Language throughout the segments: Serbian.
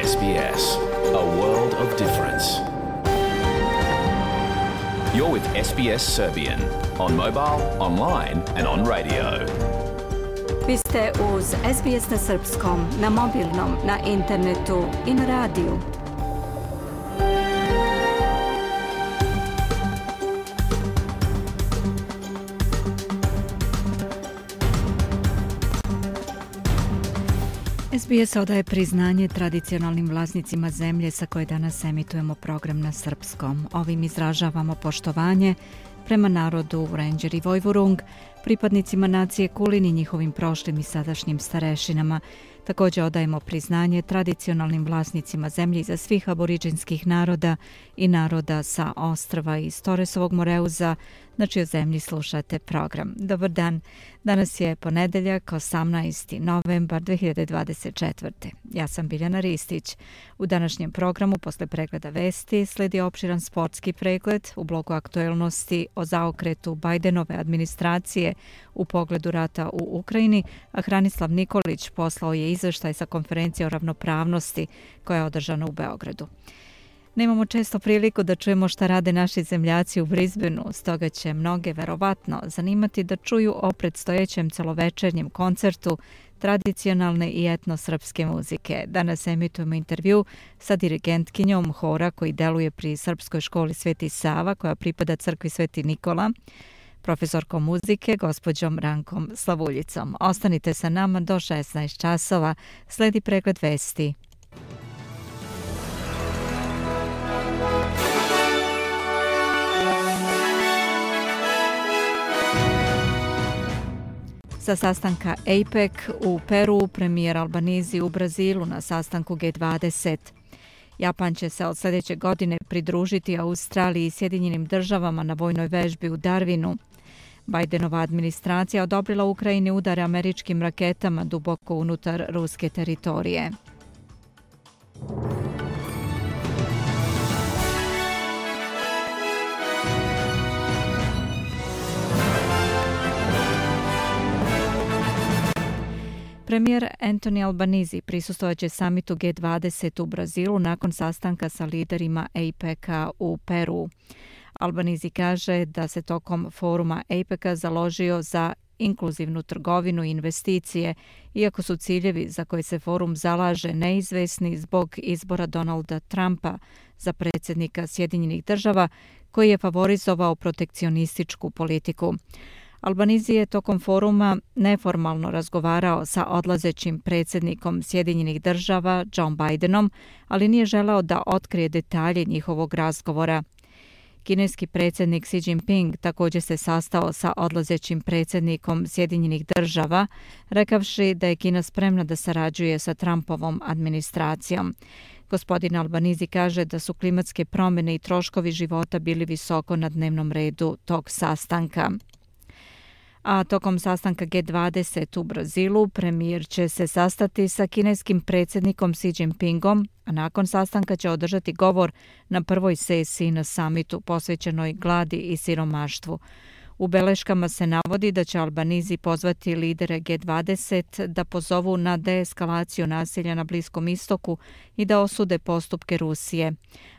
SBS, a world of difference. You're with SBS Serbian on mobile, online and on radio. Vi ste uz SBS na srpskom, na mobilnom, na internetu i na radiju. SBS odaje priznanje tradicionalnim vlasnicima zemlje sa koje danas emitujemo program na srpskom. Ovim izražavamo poštovanje prema narodu Ranger i Vojvurung, pripadnicima nacije Kulin i njihovim prošlim i sadašnjim starešinama. Također odajemo priznanje tradicionalnim vlasnicima zemlje iza svih aboriđinskih naroda i naroda sa ostrva iz Toresovog Moreuza, na čijoj zemlji slušate program. Dobar dan, danas je ponedeljak, 18. novembar 2024. Ja sam Biljana Ristić. U današnjem programu, posle pregleda vesti, sledi opširan sportski pregled u bloku aktuelnosti o zaokretu Bajdenove administracije u pogledu rata u Ukrajini, a Hranislav Nikolić poslao je izveštaj sa konferencije o ravnopravnosti koja je održana u Beogradu. Nemamo često priliku da čujemo šta rade naši zemljaci u Brisbaneu, stoga će mnoge verovatno zanimati da čuju o predstojećem celovečernjem koncertu tradicionalne i etnosrpske muzike. Danas emitujemo intervju sa dirigentkinjom hora koji deluje pri Srpskoj školi Sveti Sava, koja pripada crkvi Sveti Nikola, profesorkom muzike, gospođom Rankom Slavuljicom. Ostanite sa nama do 16 časova, sledi pregled vesti. Sa sastanka APEC u Peru, premijer Albanizi u Brazilu na sastanku G20. Japan će se od sljedeće godine pridružiti Australiji i Sjedinjenim državama na vojnoj vežbi u Darwinu. Bajdenova administracija odobrila Ukrajini udare američkim raketama duboko unutar ruske teritorije. Premijer Anthony Albanizi prisustvovaće samitu G20 u Brazilu nakon sastanka sa liderima APEC-a u Peru. Albanizi kaže da se tokom foruma APEC-a založio za inkluzivnu trgovinu i investicije, iako su ciljevi za koje se forum zalaže neizvesni zbog izbora Donalda Trumpa za predsjednika Sjedinjenih država, koji je favorizovao protekcionističku politiku. Albanizi je tokom foruma neformalno razgovarao sa odlazećim predsjednikom Sjedinjenih država Joe Bidenom, ali nije želeo da otkrije detalje njihovog razgovora. Kineski predsjednik Xi Jinping također se sastao sa odlazećim predsjednikom Sjedinjenih država, rekavši da je Kina spremna da sarađuje sa Trumpovom administracijom. Gospodin Albanizi kaže da su klimatske promjene i troškovi života bili visoko na dnevnom redu tog sastanka. A tokom sastanka G20 u Brazilu premijer će se sastati sa kineskim predsjednikom Xi Jinpingom, a nakon sastanka će održati govor na prvoj sesiji na samitu posvećenoj gladi i siromaštvu. U beleškama se navodi da će Albanizi pozvati lidere G20 da pozovu na deeskalaciju nasilja na Bliskom istoku i da osude postupke Rusije.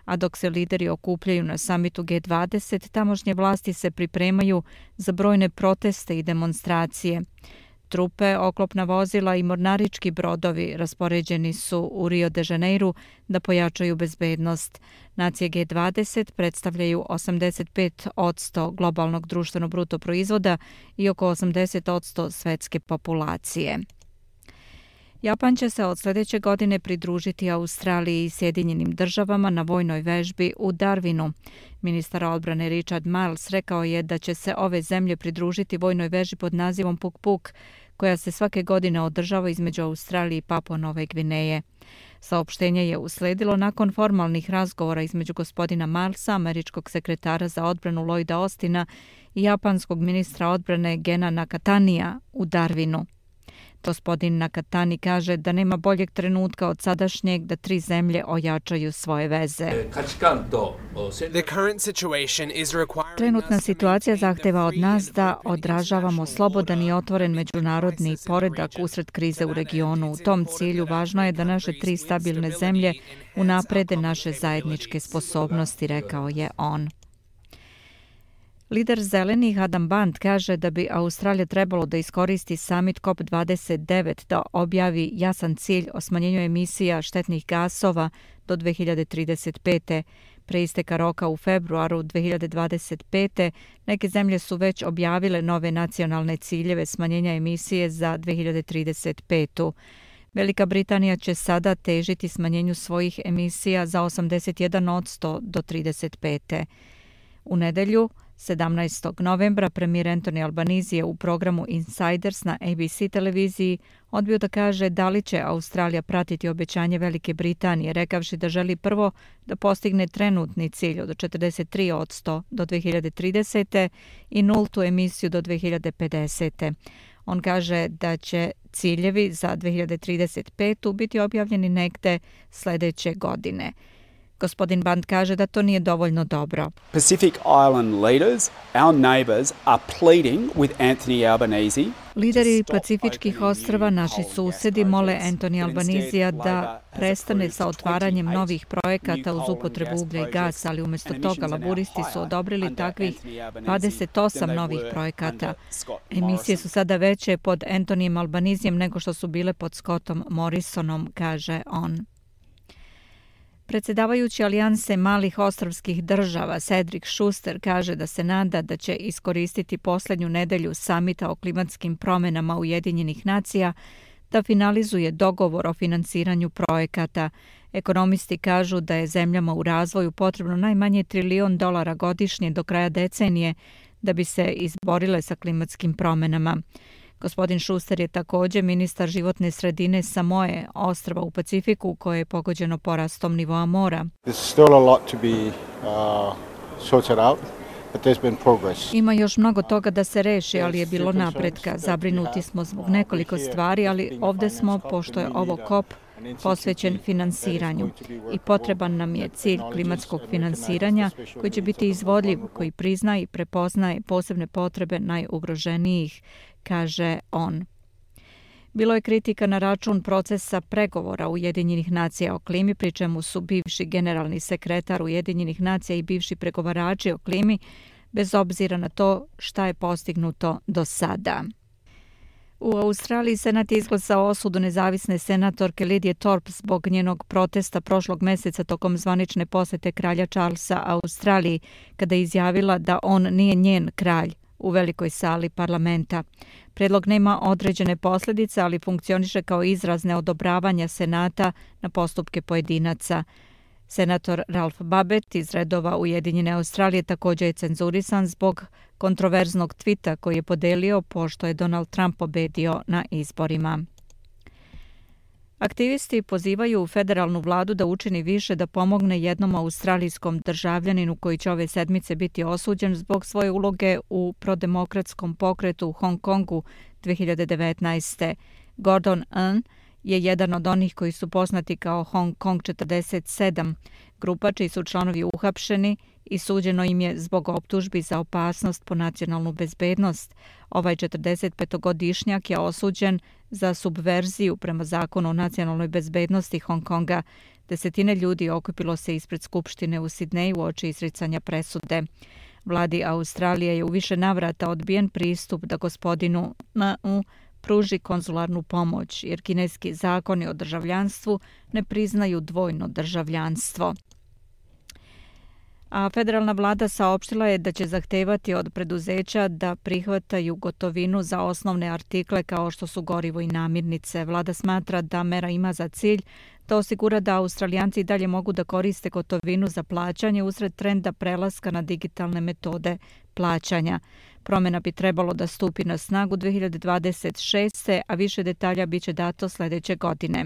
A dok se lideri okupljaju na samitu G20, tamošnje vlasti se pripremaju za brojne proteste i demonstracije. Trupe, oklopna vozila i mornarički brodovi raspoređeni su u Rio de Janeiru da pojačaju bezbednost. Nacije G20 predstavljaju 85% globalnog društvenog bruto proizvoda i oko 80% svetske populacije. Japan će se od sljedeće godine pridružiti Australiji i Sjedinjenim državama na vojnoj vežbi u Darwinu. Ministar odbrane Richard Marles rekao je da će se ove zemlje pridružiti vojnoj vežbi pod nazivom Puk Puk, koja se svake godine održava između Australije i Papua Nove Gvineje. Saopštenje je usledilo nakon formalnih razgovora između gospodina Marlesa, američkog sekretara za odbranu Lloyda Austina i japanskog ministra odbrane Gena Nakatanija u Darwinu. Gospodin Nakatani kaže da nema boljeg trenutka od sadašnjeg da tri zemlje ojačaju svoje veze. Trenutna situacija zahteva od nas da odražavamo slobodan i otvoren međunarodni poredak usred krize u regionu. U tom cilju važno je da naše tri stabilne zemlje unaprede naše zajedničke sposobnosti, rekao je on. Lider zelenih Adam Band kaže da bi Australija trebalo da iskoristi summit COP29 da objavi jasan cilj o smanjenju emisija štetnih gasova do 2035. Pre isteka roka u februaru 2025. neke zemlje su već objavile nove nacionalne ciljeve smanjenja emisije za 2035. Velika Britanija će sada težiti smanjenju svojih emisija za 81% do 35. U nedelju, 17. novembra, premijer Anthony Albanese je u programu Insiders na ABC televiziji odbio da kaže da li će Australija pratiti obećanje Velike Britanije, rekavši da želi prvo da postigne trenutni cilj od 43% do 2030. i nultu emisiju do 2050. On kaže da će ciljevi za 2035. biti objavljeni negde sledeće godine. Gospodin Band kaže da to nije dovoljno dobro. Pacific Island leaders, our neighbours, are pleading with Anthony Albanese. Lideri Pacifičkih ostrva, naši susedi, mole Anthony Albanesea da prestane sa otvaranjem novih projekata uz upotrebu uglja i gasa, ali umjesto toga laburisti su odobrili takvih 28 novih projekata. Emisije su sada veće pod Anthonyjem Albaneseem nego što su bile pod Scottom Morrisonom, kaže on. Predsjedavajući Alijanse malih ostrvskih država Cedric Schuster kaže da se nada da će iskoristiti posljednju nedelju samita o klimatskim promjenama Ujedinjenih nacija da finalizuje dogovor o finansiranju projekata. Ekonomisti kažu da je zemljama u razvoju potrebno najmanje $1 trilion godišnje do kraja decenije da bi se izborile sa klimatskim promjenama. Gospodin Schuster je također ministar životne sredine Samoe, ostrva u Pacifiku koje je pogođeno porastom nivoa mora. Ima još mnogo toga da se reši, ali je bilo napretka. Zabrinuti smo zbog nekoliko stvari, ali ovdje smo, pošto je ovo COP, posvećen finansiranju i potreban nam je cilj klimatskog finansiranja koji će biti izvodljiv, koji priznaje i prepoznaje posebne potrebe najugroženijih, kaže on. Bilo je kritika na račun procesa pregovora Ujedinjenih nacija o klimi, pri čemu su bivši generalni sekretar Ujedinjenih nacija i bivši pregovarači o klimi, bez obzira na to šta je postignuto do sada. U Australiji Senat je izglasao osudu nezavisne senatorke Lidije Thorpe zbog njenog protesta prošlog meseca tokom zvanične posjete kralja Charlesa Australiji, kada je izjavila da on nije njen kralj u velikoj sali parlamenta. Predlog nema određene posljedice, ali funkcioniše kao izraz neodobravanja Senata na postupke pojedinaca. Senator Ralph Babet iz redova Ujedinjene Australije također je cenzurisan zbog kontroverznog tvita koji je podelio pošto je Donald Trump pobedio na izborima. Aktivisti pozivaju federalnu vladu da učini više da pomogne jednom australijskom državljaninu koji će ove sedmice biti osuđen zbog svoje uloge u prodemokratskom pokretu u Hong Kongu 2019. Gordon Ng je jedan od onih koji su poznati kao Hong Kong 47, grupa čiji su članovi uhapšeni i suđeno im je zbog optužbi za opasnost po nacionalnu bezbednost. Ovaj 45-godišnjak je osuđen za subverziju prema zakonu o nacionalnoj bezbednosti Hong Konga. Desetine ljudi okupilo se ispred skupštine u Sidneju uoči izricanja presude. Vladi Australije je u više navrata odbijen pristup da gospodinu Ng pruži konzularnu pomoć, jer kineski zakoni o državljanstvu ne priznaju dvojno državljanstvo. A federalna vlada saopštila je da će zahtevati od preduzeća da prihvataju gotovinu za osnovne artikle kao što su gorivo i namirnice. Vlada smatra da mera ima za cilj da osigura da Australijanci dalje mogu da koriste gotovinu za plaćanje usred trenda prelaska na digitalne metode plaćanja. Promjena bi trebalo da stupi na snagu 2026. a više detalja biće dato sljedeće godine.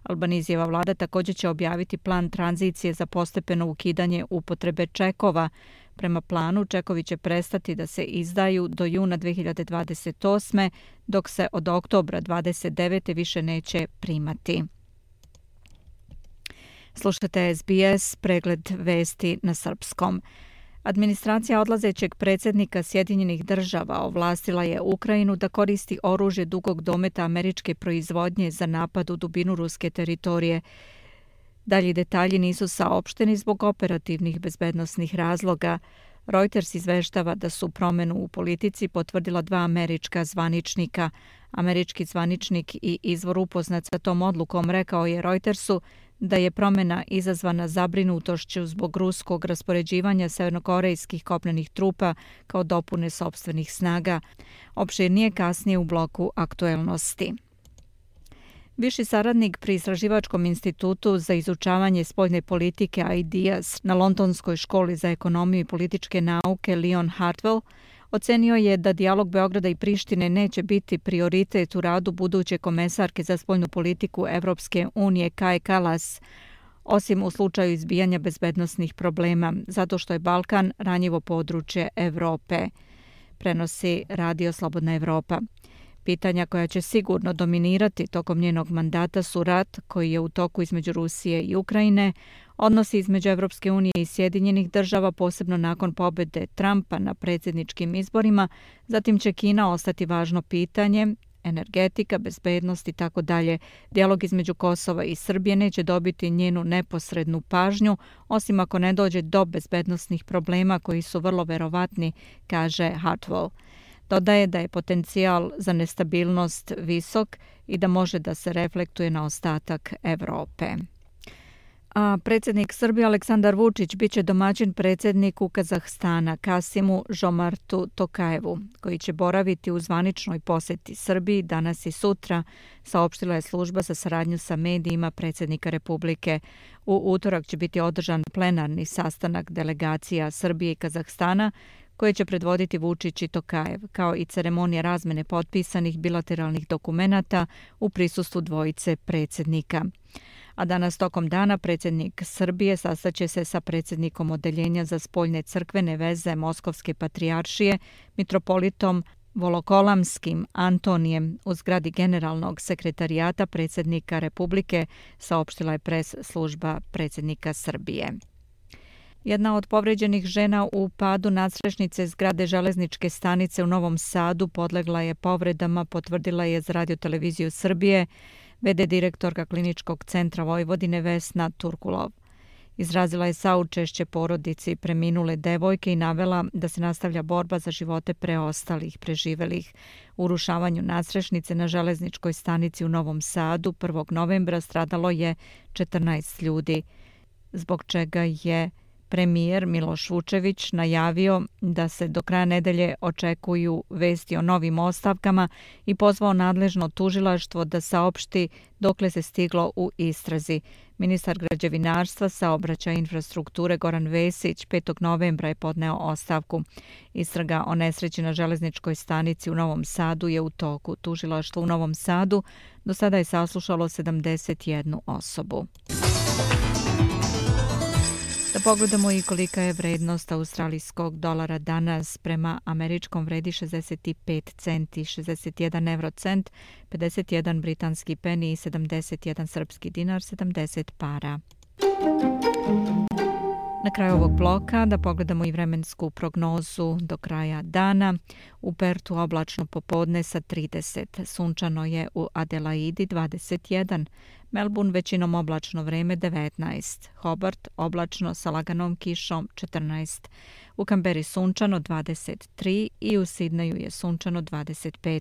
Albanesijeva vlada također će objaviti plan tranzicije za postepeno ukidanje upotrebe čekova, Prema planu, čekovi će prestati da se izdaju do juna 2028. dok se od oktobra 2029. više neće primati. Slušate SBS, pregled vesti na srpskom. Administracija odlazećeg predsjednika Sjedinjenih država ovlastila je Ukrajinu da koristi oružje dugog dometa američke proizvodnje za napad u dubinu ruske teritorije. Dalji detalji nisu saopšteni zbog operativnih bezbednosnih razloga. Reuters izveštava da su promjenu u politici potvrdila 2 američka zvaničnika. Američki zvaničnik i izvor upoznat sa tom odlukom rekao je Reutersu da je promjena izazvana zabrinutošću zbog ruskog raspoređivanja severnokorejskih kopnenih trupa kao dopune sopstvenih snaga. Opširnije kasnije u bloku aktuelnosti. Viši saradnik pri Istraživačkom institutu za izučavanje spoljne politike IDEAS na Londonskoj školi za ekonomiju i političke nauke Leon Hartwell ocenio je da dijalog Beograda i Prištine neće biti prioritet u radu buduće komesarke za spoljnu politiku Evropske unije Kaje Kallas, osim u slučaju izbijanja bezbednosnih problema, zato što je Balkan ranjivo područje Evrope, prenosi Radio Slobodna Evropa. Pitanja koja će sigurno dominirati tokom njenog mandata su rat koji je u toku između Rusije i Ukrajine, odnosi između Evropske unije i Sjedinjenih država, posebno nakon pobjede Trumpa na predsjedničkim izborima, zatim će Kina ostati važno pitanje, energetika, bezbednost i tako dalje. Dijalog između Kosova i Srbije neće dobiti njenu neposrednu pažnju, osim ako ne dođe do bezbednosnih problema koji su vrlo verovatni, kaže Hartwell. Dodaje da je potencijal za nestabilnost visok i da može da se reflektuje na ostatak Evrope. A predsjednik Srbije Aleksandar Vučić biće domaćin predsjedniku Kazahstana Kasimu Žomartu Tokajevu, koji će boraviti u zvaničnoj posjeti Srbiji danas i sutra, saopštila je služba za saradnju sa medijima predsjednika Republike. U utorak će biti održan plenarni sastanak delegacija Srbije i Kazahstana, koje će predvoditi Vučić i Tokajev, kao i ceremonija razmene potpisanih bilateralnih dokumenata u prisustvu dvojice predsjednika. A danas tokom dana predsjednik Srbije sastaće se sa predsjednikom Odeljenja za spoljne crkvene veze Moskovske patrijaršije, mitropolitom Volokolamskim Antonijem u zgradi Generalnog sekretarijata predsjednika Republike, saopštila je pres služba predsjednika Srbije. Jedna od povređenih žena u padu nadstrešnice zgrade železničke stanice u Novom Sadu podlegla je povredama, potvrdila je za Radio-televiziju Srbije v.d. direktorka Kliničkog centra Vojvodine Vesna Turkulov. Izrazila je saučešće porodici preminule devojke i navela da se nastavlja borba za živote preostalih preživelih. U urušavanju nadstrešnice na železničkoj stanici u Novom Sadu 1. novembra stradalo je 14 ljudi, zbog čega je premijer Miloš Vučević najavio da se do kraja nedelje očekuju vesti o novim ostavkama i pozvao nadležno tužilaštvo da saopšti dokle se stiglo u istrazi. Ministar građevinarstva, saobraćaja i infrastrukture Goran Vesić 5. novembra je podneo ostavku. Istraga o nesreći na železničkoj stanici u Novom Sadu je u toku. Tužilaštvo u Novom Sadu do sada je saslušalo 71 osobu. Da pogledamo i kolika je vrednost australijskog dolara danas. Prema američkom vredi 65 centi, 61 eurocent, 51 britanski peni i 71 srpski dinar, 70 para. Na kraju ovog bloka da pogledamo i vremensku prognozu do kraja dana. U Pertu oblačno popodne sa 30, sunčano je u Adelaidi 21, Melbourne većinom oblačno vreme 19, Hobart oblačno sa laganom kišom 14, u Kamberi sunčano 23 i u Sidneju je sunčano 25,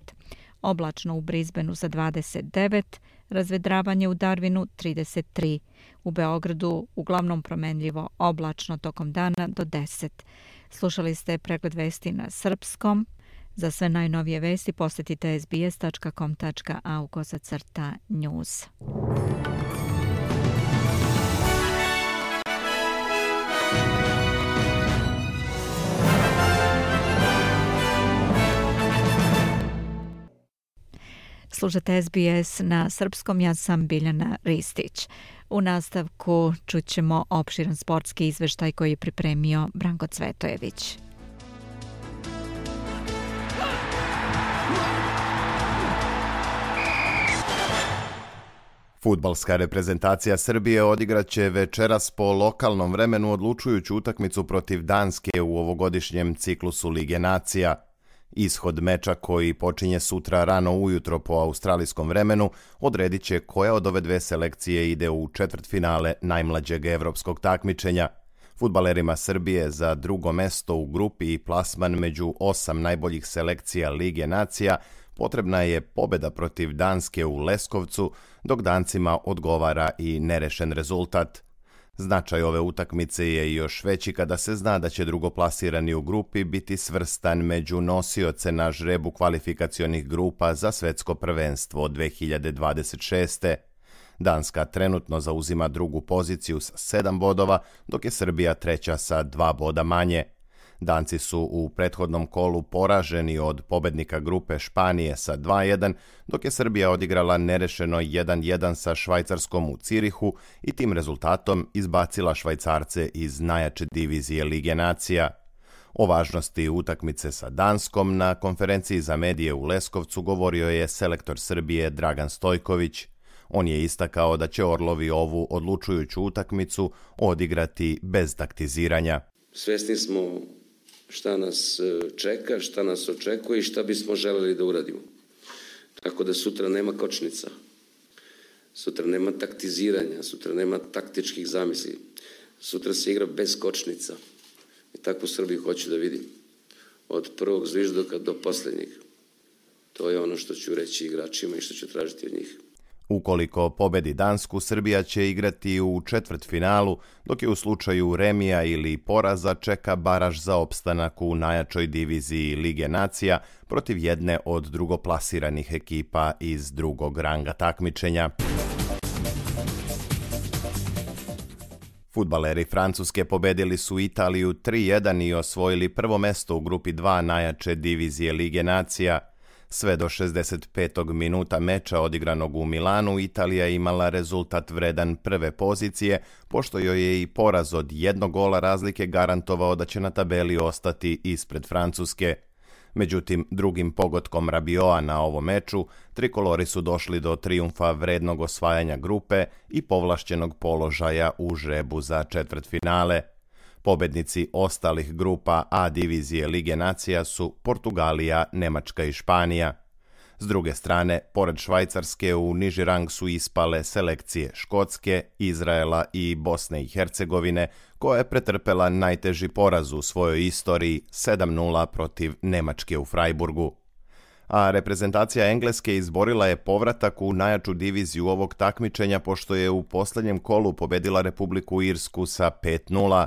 oblačno u Brisbaneu za 29, razvedravanje u Darwinu 33, u Beogradu uglavnom promenljivo oblačno tokom dana do 10. Slušali ste pregled vesti na srpskom. Za sve najnovije vesti posjetite sbs.com.au/news. Slušate SBS na srpskom, ja sam Biljana Ristić. U nastavku čućemo opširan sportski izveštaj koji je pripremio Branko Cvetojević. Fudbalska reprezentacija Srbije odigraće večeras po lokalnom vremenu odlučujuću utakmicu protiv Danske u ovogodišnjem ciklusu Lige nacija. Ishod meča koji počinje sutra rano ujutro po australijskom vremenu odredit će koja od ove dve selekcije ide u četvrtfinale najmlađeg evropskog takmičenja. Fudbalerima Srbije za drugo mesto u grupi i plasman među 8 najboljih selekcija Lige nacija potrebna je pobjeda protiv Danske u Leskovcu, dok Dancima odgovara i nerešen rezultat. Značaj ove utakmice je još veći kada se zna da će drugoplasirani u grupi biti svrstan među nosioce na žrebu kvalifikacionih grupa za svetsko prvenstvo 2026. Danska trenutno zauzima drugu poziciju sa 7 bodova, dok je Srbija treća sa 2 boda manje. Danci su u prethodnom kolu poraženi od pobednika grupe Španije sa 2-1, dok je Srbija odigrala nerešeno 1-1 sa Švajcarskom u Cirihu i tim rezultatom izbacila Švajcarce iz najjače divizije Lige nacija. O važnosti utakmice sa Danskom na konferenciji za medije u Leskovcu govorio je selektor Srbije Dragan Stojković. On je istakao da će Orlovi ovu odlučujuću utakmicu odigrati bez taktiziranja. Svesni smo šta nas čeka, šta nas očekuje i šta bismo želeli da uradimo. Tako da sutra nema kočnica, sutra nema taktiziranja, sutra nema taktičkih zamisli. Sutra se igra bez kočnica i takvu Srbiju hoću da vidim. Od prvog zviždoka do posljednjeg. To je ono što ću reći igračima i što ću tražiti od njih. Ukoliko pobedi Dansku, Srbija će igrati u četvrtfinalu, dok je u slučaju remija ili poraza čeka baraž za opstanak u najjačoj diviziji Lige nacija protiv jedne od drugoplasiranih ekipa iz drugog ranga takmičenja. Fudbaleri Francuske pobedili su Italiju 3-1 i osvojili prvo mesto u grupi 2 najjače divizije Lige nacija. Sve do 65. minuta meča odigranog u Milanu, Italija imala rezultat vredan prve pozicije, pošto joj je i poraz od 1 gola razlike garantovao da će na tabeli ostati ispred Francuske. Međutim, drugim pogodkom Rabioa na ovom meču, trikolori su došli do trijumfa vrednog osvajanja grupe i povlašćenog položaja u žrebu za četvrtfinale. Pobednici ostalih grupa A divizije Lige nacija su Portugalija, Nemačka i Španija. S druge strane, pored Švajcarske u niži rang su ispale selekcije Škotske, Izraela i Bosne i Hercegovine, koja je pretrpela najteži poraz u svojoj istoriji 7-0 protiv Nemačke u Freiburgu. A reprezentacija Engleske izborila je povratak u najjaču diviziju ovog takmičenja pošto je u posljednjem kolu pobedila Republiku Irsku sa 5-0.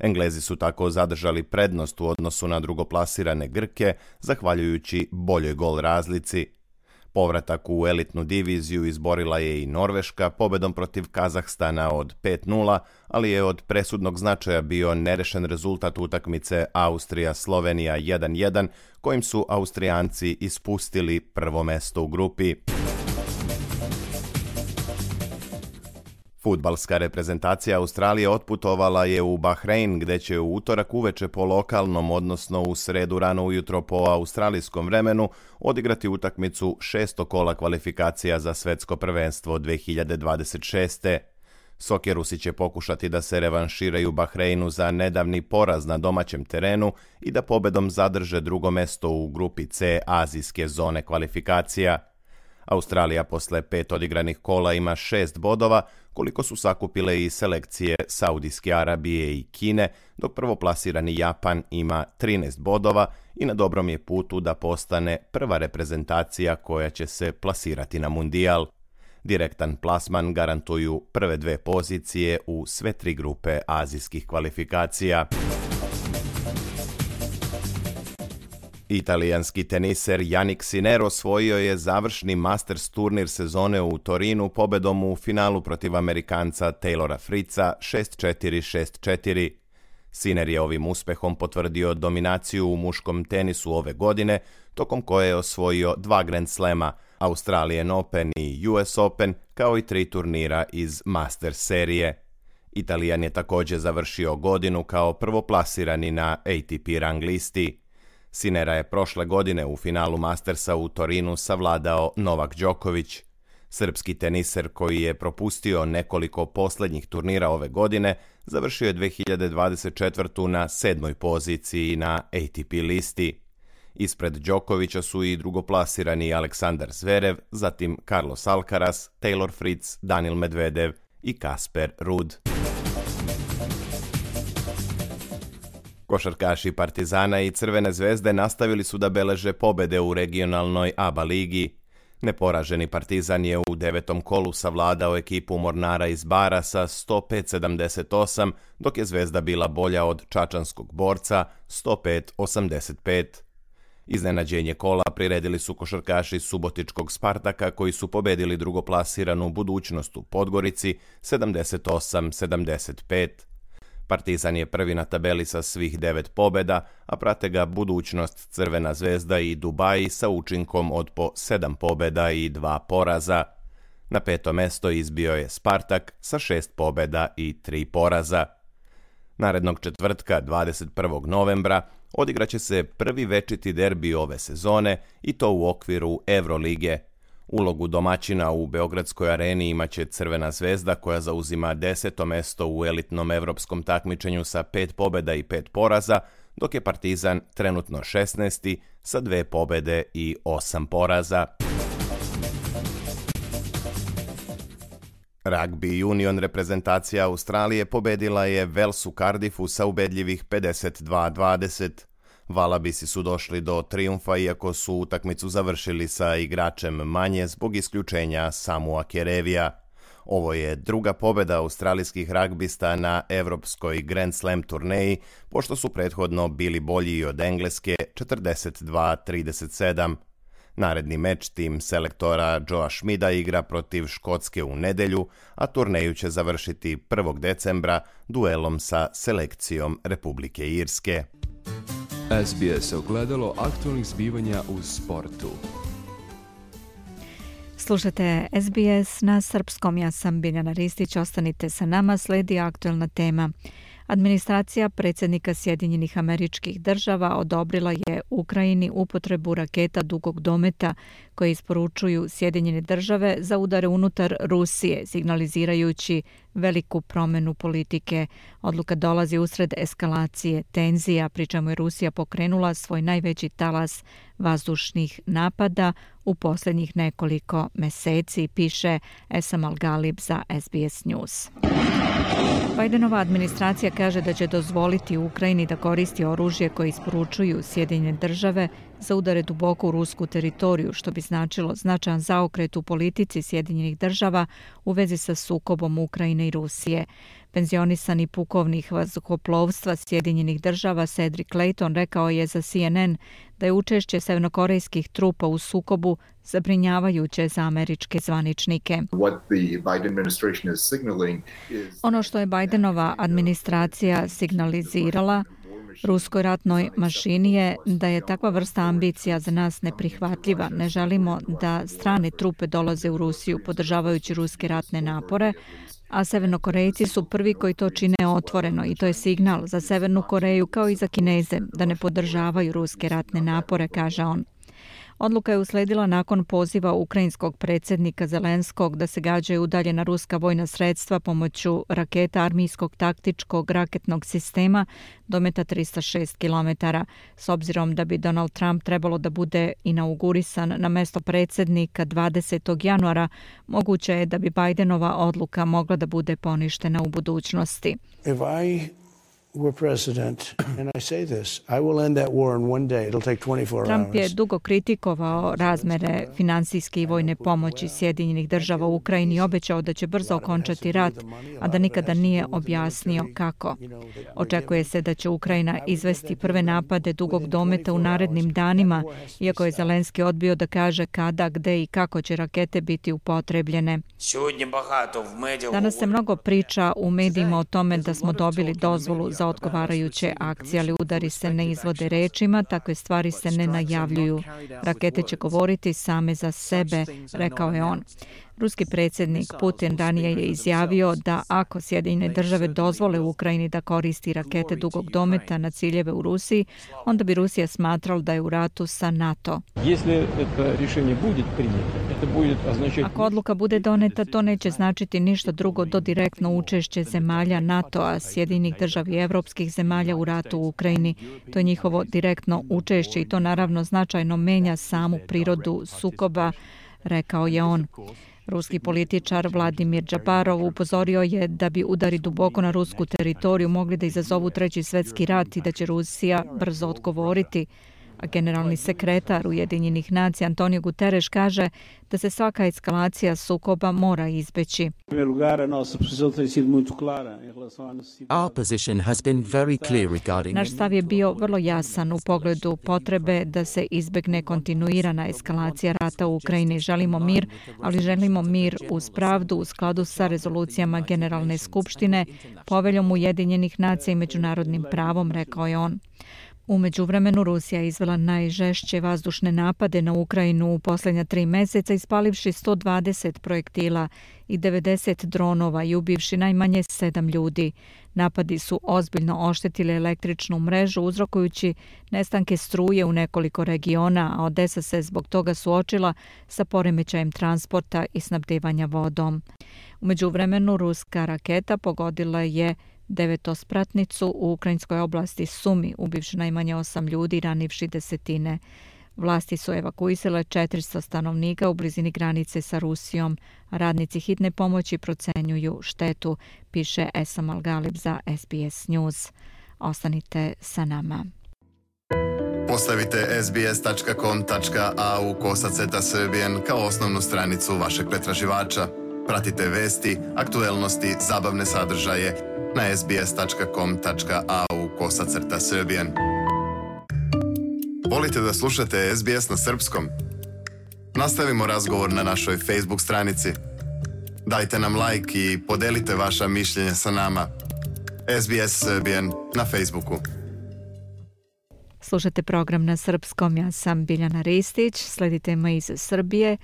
Englezi su tako zadržali prednost u odnosu na drugoplasirane Grke, zahvaljujući boljoj gol razlici. Povratak u elitnu diviziju izborila je i Norveška pobedom protiv Kazahstana od 5-0, ali je od presudnog značaja bio nerešen rezultat utakmice Austrija-Slovenija 1-1, kojim su Austrijanci ispustili prvo mesto u grupi. Fudbalska reprezentacija Australije otputovala je u Bahrein, gde će u utorak uveče po lokalnom, odnosno u sredu rano ujutro po australijskom vremenu, odigrati utakmicu 6. kola kvalifikacija za svetsko prvenstvo 2026. Sokerusi će pokušati da se revanširaju Bahreinu za nedavni poraz na domaćem terenu i da pobedom zadrže drugo mesto u grupi C azijske zone kvalifikacija. Australija posle 5 odigranih kola ima 6 bodova, koliko su sakupile i selekcije Saudijske Arabije i Kine, dok prvoplasirani Japan ima 13 bodova i na dobrom je putu da postane prva reprezentacija koja će se plasirati na Mundijal. Direktan plasman garantuju prve 2 pozicije u sve 3 grupe azijskih kvalifikacija. Italijanski teniser Jannik Sinner osvojio je završni Masters turnir sezone u Torinu pobedom u finalu protiv Amerikanca Taylora Fritza 6-4-6-4. Sinner je ovim uspehom potvrdio dominaciju u muškom tenisu ove godine, tokom koje je osvojio 2 Grand Slema, Australian Open i US Open, kao i 3 turnira iz Masters serije. Italijan je također završio godinu kao prvoplasirani na ATP rang listi. Sinera je prošle godine u finalu Mastersa u Torinu savladao Novak Đoković. Srpski teniser koji je propustio nekoliko posljednjih turnira ove godine, završio je 2024. na 7. poziciji na ATP listi. Ispred Đokovića su i drugoplasirani Aleksandar Zverev, zatim Carlos Alcaraz, Taylor Fritz, Daniil Medvedev i Kasper Ruud. Košarkaši Partizana i Crvene zvezde nastavili su da beleže pobede u regionalnoj ABA ligi. Neporaženi Partizan je u 9. kolu savladao ekipu Mornara iz Bara sa 105-78, dok je Zvezda bila bolja od čačanskog Borca 105-85. Iznenađenje kola priredili su košarkaši Subotičkog Spartaka koji su pobedili drugoplasiranu Budućnost u Podgorici 78-75. Partizan je prvi na tabeli sa svih 9 pobeda, a prate ga Budućnost, Crvena zvezda i Dubaji sa učinkom od po 7 pobeda i 2 poraza. Na 5. mesto izbio je Spartak sa 6 pobeda i 3 poraza. Narednog četvrtka, 21. novembra, odigraće se prvi večiti derbi ove sezone i to u okviru Evrolige. Ulogu domaćina u Beogradskoj areni imaće Crvena zvezda koja zauzima 10. mesto u elitnom evropskom takmičenju sa 5 pobjeda i 5 poraza, dok je Partizan trenutno 16. sa 2 pobjede i 8 poraza. Rugby Union reprezentacija Australije pobedila je Wales u Cardiffu sa ubedljivih 52-20. Valabisi su došli do trijumfa iako su utakmicu završili sa igračem manje zbog isključenja Samua Kerevija. Ovo je druga pobjeda australijskih ragbista na evropskoj Grand Slam turneji, pošto su prethodno bili bolji i od Engleske 42-37. Naredni meč tim selektora Joea Schmida igra protiv Škotske u nedjelju, a turneju će završiti 1. decembra duelom sa selekcijom Republike Irske. SBS ogledalo aktualnih zbivanja u sportu. Slušajte SBS na srpskom, ja sam Biljana Ristić, ostanite sa nama, sledi aktualna tema. Administracija predsjednika Sjedinjenih Američkih Država odobrila je Ukrajini upotrebu raketa dugog dometa koje isporučuju Sjedinjene Države za udare unutar Rusije, signalizirajući veliku promjenu politike. Odluka dolazi usred eskalacije tenzija, pri čemu je Rusija pokrenula svoj najveći talas vazdušnih napada u posljednjih nekoliko mjeseci, piše Esam Al-Galib za SBS News. Bidenova administracija kaže da će dozvoliti Ukrajini da koristi oružje koje isporučuju Sjedinjene Države za udare duboko u rusku teritoriju, što bi značilo značajan zaokret u politici Sjedinjenih Država u vezi sa sukobom Ukrajine i Rusije. Penzionisani pukovnik vazduhoplovstva Sjedinjenih Država Cedric Clayton rekao je za CNN da je učešće severnokorejskih trupa u sukobu zabrinjavajuće za američke zvaničnike. Ono što je Bidenova administracija signalizirala ruskoj ratnoj mašini je da je takva vrsta ambicija za nas neprihvatljiva. Ne želimo da strane trupe dolaze u Rusiju podržavajući ruske ratne napore, a Severnokorejci su prvi koji to čine otvoreno i to je signal za Severnu Koreju kao i za Kineze da ne podržavaju ruske ratne napore, kaže on. Odluka je usledila nakon poziva ukrajinskog predsjednika Zelenskog da se gađaju udaljena ruska vojna sredstva pomoću raketa armijskog taktičkog raketnog sistema dometa 306 km. S obzirom da bi Donald Trump trebalo da bude inaugurisan na mesto predsjednika 20. januara, moguće je da bi Bidenova odluka mogla da bude poništena u budućnosti. Trump je dugo kritikovao razmere finansijske i vojne pomoći Sjedinjenih Država u Ukrajini i obećao da će brzo okončati rat, a da nikada nije objasnio kako. Očekuje se da će Ukrajina izvesti prve napade dugog dometa u narednim danima, iako je Zelenski odbio da kaže kada, gde i kako će rakete biti upotrebljene. Danas se mnogo priča u medijima o tome da smo dobili dozvolu za za odgovarajuće akcije, ali udari se ne izvode rečima, takve stvari se ne najavljuju. Rakete će govoriti same za sebe, rekao je on. Ruski predsjednik Putin ranije je izjavio da ako Sjedinjene države dozvole Ukrajini da koristi rakete dugog dometa na ciljeve u Rusiji, onda bi Rusija smatrala da je u ratu sa NATO. Ako odluka bude doneta, to neće značiti ništa drugo do direktno učešće zemalja NATO-a, Sjedinjenih država i evropskih zemalja u ratu u Ukrajini. To je njihovo direktno učešće i to naravno značajno menja samu prirodu sukoba, rekao je on. Ruski političar Vladimir Džaparov upozorio je da bi udari duboko na rusku teritoriju mogli da izazovu Treći svjetski rat i da će Rusija brzo odgovoriti. A generalni sekretar Ujedinjenih nacija Antonio Guterres kaže da se svaka eskalacija sukoba mora izbeći. Naš stav je bio vrlo jasan u pogledu potrebe da se izbegne kontinuirana eskalacija rata u Ukrajini. Želimo mir, ali želimo mir uz pravdu u skladu sa rezolucijama Generalne skupštine, poveljom Ujedinjenih nacija i međunarodnim pravom, rekao je on. U međuvremenu Rusija je izvela najžešće vazdušne napade na Ukrajinu u posljednja 3 mjeseca, ispalivši 120 projektila i 90 dronova i ubivši najmanje 7 ljudi. Napadi su ozbiljno oštetili električnu mrežu, uzrokujući nestanke struje u nekoliko regiona, a Odesa se zbog toga suočila sa poremećajem transporta i snabdevanja vodom. U međuvremenu ruska raketa pogodila je devetospratnicu u ukrajinskoj oblasti Sumi, ubivši najmanje 8 ljudi i ranivši desetine. Vlasti su evakuisale 400 stanovnika u blizini granice sa Rusijom. Radnici hitne pomoći procenjuju štetu, piše Esam Al-Galib za SBS News. Ostanite sa nama. Postavite sbs.com.au/Srbijen kao osnovnu stranicu vašeg pretraživača. Pratite vesti, aktuelnosti, zabavne sadržaje na sbs.com.au/Srbijen. Volite da slušate SBS na srpskom? Nastavimo razgovor na našoj Facebook stranici. Dajte nam like i podelite vaša mišljenja sa nama. SBS Srbijen na Facebooku. Slušate program na srpskom, ja sam Biljana Ristić, sledite me iz Srbije.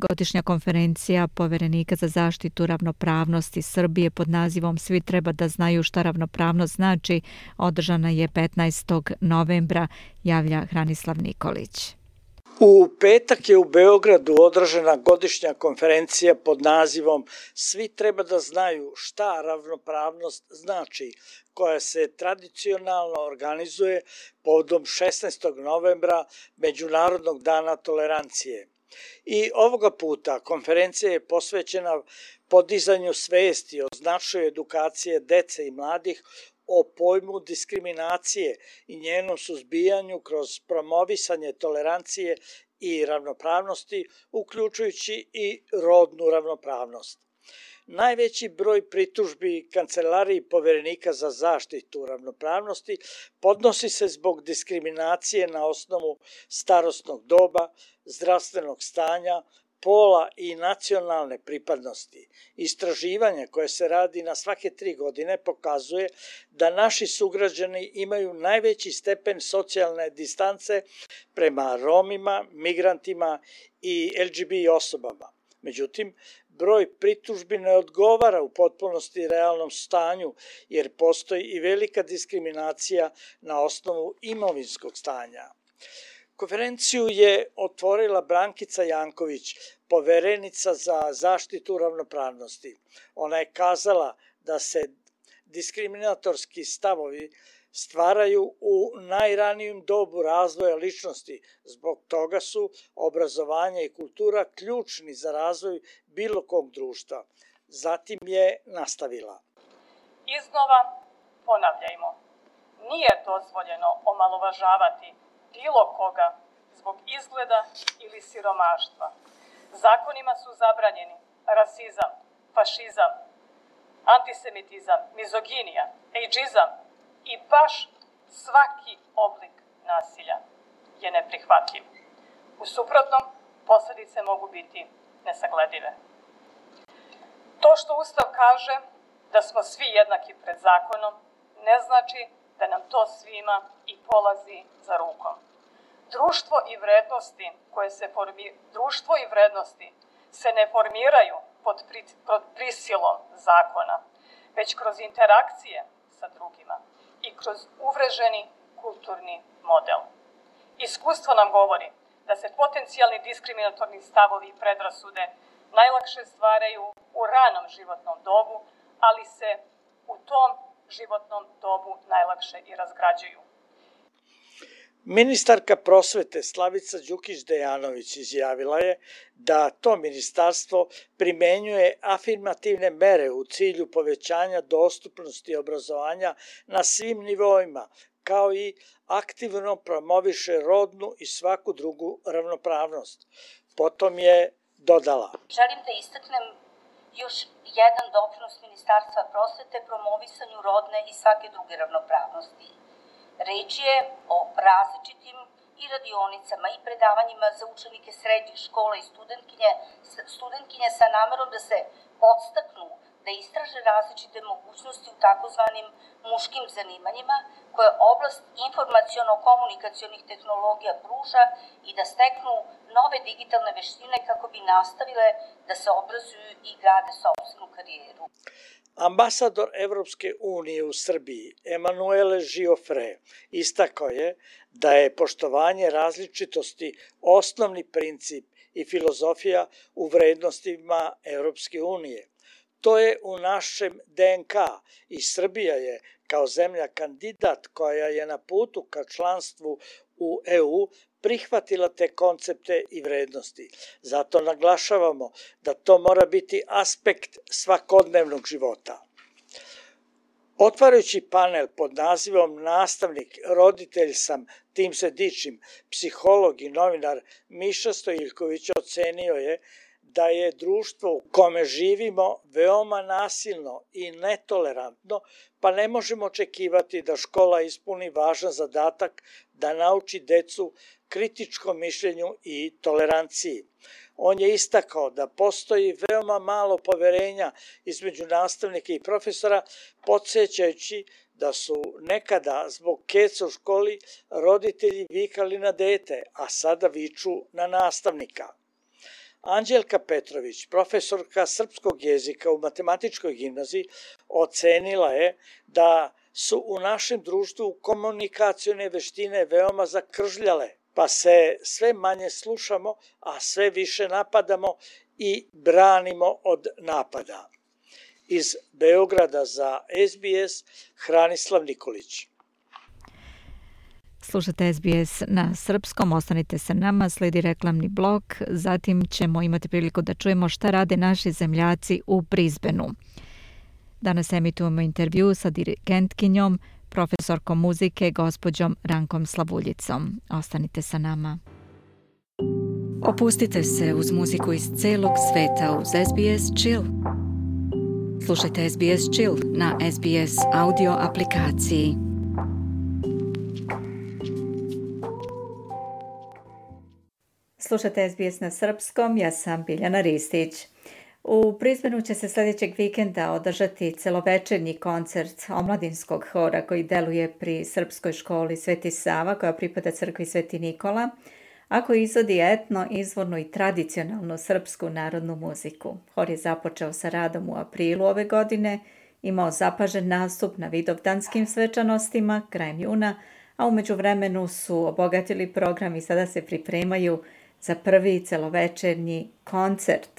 Godišnja konferencija Poverenika za zaštitu ravnopravnosti Srbije pod nazivom Svi treba da znaju šta ravnopravnost znači, održana je 15. novembra, javlja Hranislav Nikolić. U petak je u Beogradu održana godišnja konferencija pod nazivom Svi treba da znaju šta ravnopravnost znači, koja se tradicionalno organizuje povodom 16. novembra Međunarodnog dana tolerancije. I ovoga puta konferencija je posvećena podizanju svesti o značaju edukacije dece i mladih o pojmu diskriminacije i njenom suzbijanju kroz promovisanje tolerancije i ravnopravnosti, uključujući i rodnu ravnopravnost. Najveći broj pritužbi Kancelariji Poverenika za zaštitu ravnopravnosti podnosi se zbog diskriminacije na osnovu starosnog doba, zdravstvenog stanja, pola i nacionalne pripadnosti. Istraživanje koje se radi na svake 3 godine pokazuje da naši sugrađani imaju najveći stepen socijalne distance prema Romima, migrantima i LGBT osobama. Međutim, broj pritužbi ne odgovara u potpunosti realnom stanju, jer postoji i velika diskriminacija na osnovu imovinskog stanja. Konferenciju je otvorila Brankica Janković, poverenica za zaštitu ravnopravnosti. Ona je kazala da se diskriminatorski stavovi stvaraju u najranijem dobu razvoja ličnosti. Zbog toga su obrazovanje i kultura ključni za razvoj bilo kog društva. Zatim je nastavila. Iznova ponavljajmo. Nije dozvoljeno omalovažavati bilo koga zbog izgleda ili siromaštva. Zakonima su zabranjeni rasizam, fašizam, antisemitizam, mizoginija, ejdžizam i baš svaki oblik nasilja je neprihvatljiv. U suprotnom, posljedice mogu biti nesagledive. To što Ustav kaže da smo svi jednaki pred zakonom ne znači da nam to svima i polazi za rukom. Društvo i vrednosti se ne formiraju pod prisilom zakona, već kroz interakcije sa drugima i kroz uvreženi kulturni model. Iskustvo nam govori da se potencijalni diskriminatorni stavovi i predrasude najlakše stvaraju u ranom životnom dobu, ali se u tom životnom dobu najlakše i razgrađuju. Ministarka prosvete Slavica Đukić-Dejanović izjavila je da to ministarstvo primenjuje afirmativne mere u cilju povećanja dostupnosti obrazovanja na svim nivoima, kao i aktivno promoviše rodnu i svaku drugu ravnopravnost. Potom je dodala: Želim da istaknem još jedan doprinos Ministarstva prosvete promovisanju rodne i svake druge ravnopravnosti. Reč je o različitim i radionicama i predavanjima za učenike srednjih škola i studentkinje sa namerom da se podstaknu da istraže različite mogućnosti u takozvanim muškim zanimanjima koje oblast informaciono-komunikacionih tehnologija pruža i da steknu nove digitalne veštine kako bi nastavile da se obrazuju i grade sopstvenu karijeru. Ambasador Evropske unije u Srbiji, Emanuele Giofre, istakao je da je poštovanje različitosti osnovni princip i filozofija u vrednostima Evropske unije. To je u našem DNK i Srbija je, kao zemlja kandidat koja je na putu ka članstvu u EU, prihvatila te koncepte i vrednosti. Zato naglašavamo da to mora biti aspekt svakodnevnog života. Otvarajući panel pod nazivom Nastavnik, roditelj sam, tim se dičim, psiholog i novinar Miša Stojiljković ocenio je da je društvo u kome živimo veoma nasilno i netolerantno, pa ne možemo očekivati da škola ispuni važan zadatak da nauči decu kritičkom mišljenju i toleranciji. On je istakao da postoji veoma malo poverenja između nastavnika i profesora, podsjećajući da su nekada zbog keca u školi roditelji vikali na dete, a sada viču na nastavnika. Anđelka Petrović, profesorka srpskog jezika u matematičkoj gimnaziji, ocenila je da su u našem društvu komunikacione veštine veoma zakržljale, pa se sve manje slušamo, a sve više napadamo i branimo od napada. Iz Beograda za SBS, Hranislav Nikolić. Slušate SBS na srpskom, ostanite sa nama, sledi reklamni blok, zatim ćemo imati priliku da čujemo šta rade naši zemljaci u Brisbaneu. Danas emitujemo intervju sa dirigentkinjom, profesorkom muzike, gospođom Rankom Slavuljicom. Ostanite sa nama. Opustite se uz muziku iz celog sveta uz SBS Chill. Slušajte SBS Chill na SBS audio aplikaciji. Slušate SBS na srpskom, ja sam Biljana Ristić. U Brisbaneu će se sljedećeg vikenda održati celovečernji koncert omladinskog hora koji deluje pri srpskoj školi Sveti Sava koja pripada crkvi Sveti Nikola, a koji izvodi etno, izvornu i tradicionalnu srpsku narodnu muziku. Hor je započeo sa radom u aprilu ove godine, imao zapažen nastup na vidovdanskim svečanostima krajem juna, a u međuvremenu su obogatili program i sada se pripremaju za prvi celovečernji koncert.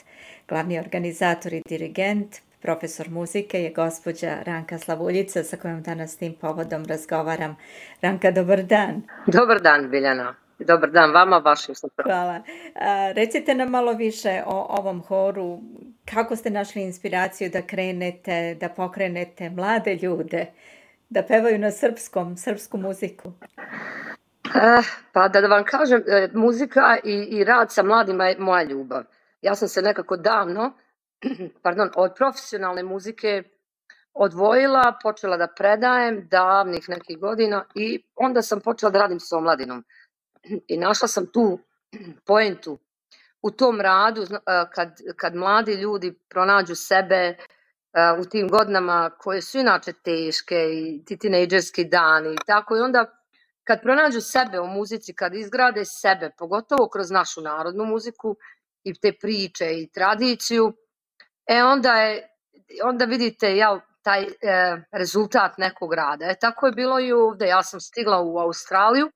Glavni organizator i dirigent, profesor muzike je gospođa Ranka Slavuljica sa kojom danas tim povodom razgovaram. Ranka, dobar dan. Dobar dan, Biljana. Dobar dan vama, vašim slušalcima. Hvala. Recite nam malo više o ovom horu. Kako ste našli inspiraciju da krenete, da pokrenete mlade ljude, da pevaju na srpsku muziku? Pa da vam kažem, muzika i rad sa mladima je moja ljubav. Ja sam se nekako davno od profesionalne muzike odvojila, počela da predajem davnih nekih godina i onda sam počela da radim s omladinom. I našla sam tu poentu u tom radu kad mladi ljudi pronađu sebe, u tim godinama koje su inače teške i ti tinejdžerski dani i tako. I onda kad pronađu sebe u muzici, kad izgrade sebe, pogotovo kroz našu narodnu muziku i te priče i tradiciju, onda vidite taj rezultat nekog rada. Tako je bilo i ovde. Ja sam stigla u Australiju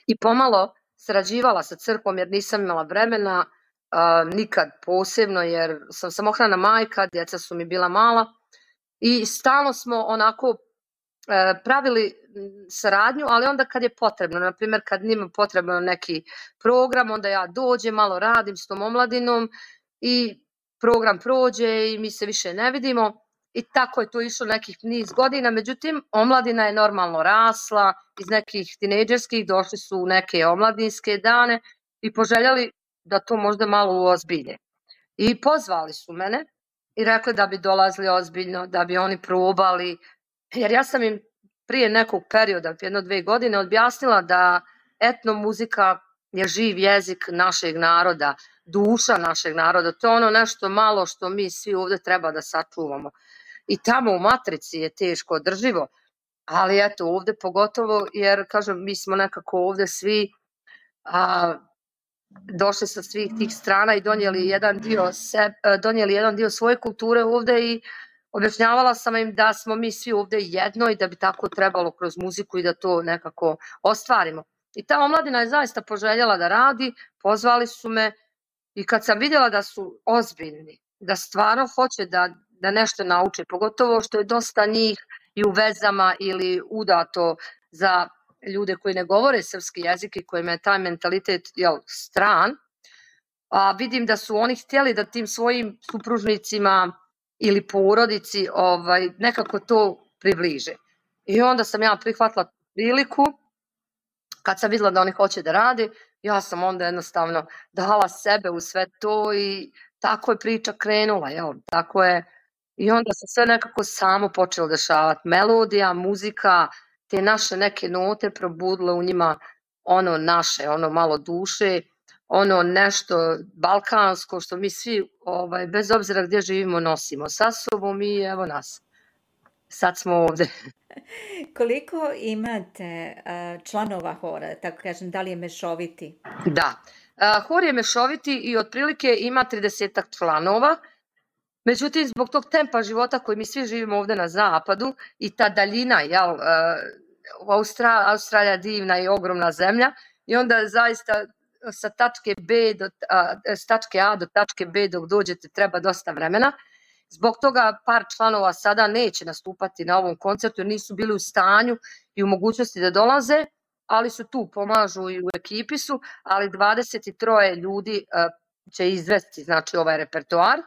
i pomalo sarađivala sa crkvom jer nisam imala vremena nikad posebno, jer sam samohrana majka, djeca su mi bila mala i stalno smo onako pravili saradnju, ali onda kad je potrebno, na primjer kad njima potrebno neki program, onda ja dođem, malo radim s tom omladinom i program prođe i mi se više ne vidimo i tako je to išlo nekih niz godina. Međutim, omladina je normalno rasla, iz nekih tinejdžerskih došli su u neke omladinske dane i poželjeli da to možda malo uozbilje. I pozvali su mene i rekli da bi dolazili ozbiljno, da bi oni probali, jer ja sam im prije nekog perioda, 1-2 godine, objasnila da etnomuzika je živ jezik našeg naroda, duša našeg naroda. To je ono nešto malo što mi svi ovde treba da sačuvamo. I tamo u matrici je teško održivo, ali eto ovde pogotovo, jer kažem, mi smo nekako ovde svi došli sa svih tih strana i donijeli jedan dio svoje kulture ovde i objašnjavala sam im da smo mi svi ovde jedno i da bi tako trebalo kroz muziku i da to nekako ostvarimo. I ta omladina je zaista poželjela da radi, pozvali su me i kad sam vidjela da su ozbiljni, da stvarno hoće da nešto nauče, pogotovo što je dosta njih i u vezama ili udato za ljude koji ne govore srpski jezik i kojima je taj mentalitet stran, a vidim da su oni htjeli da tim svojim supružnicima ili porodici nekako to približe. I onda sam ja prihvatila priliku, kad sam vidjela da oni hoće da rade, ja sam onda jednostavno dala sebe u sve to i tako je priča krenula, tako je. I onda se sve nekako samo počelo dešavati. Melodija, muzika, te naše neke note probudile u njima ono naše, ono malo duše, ono nešto balkansko što mi svi, bez obzira gdje živimo, nosimo sa sobom i evo nas. Sad smo ovde. Koliko imate članova hora, tako kažem, da li je mešoviti? Da, hor je mešoviti i otprilike ima 30 članova. Međutim, zbog tog tempa života koji mi svi živimo ovde na zapadu i ta daljina, Australija divna i ogromna zemlja i onda zaista sa tačke A do tačke B dok dođete treba dosta vremena. Zbog toga par članova sada neće nastupati na ovom koncertu jer nisu bili u stanju i u mogućnosti da dolaze, ali su tu, pomažu i u ekipi su, ali 23 ljudi će izvesti znači ovaj repertoar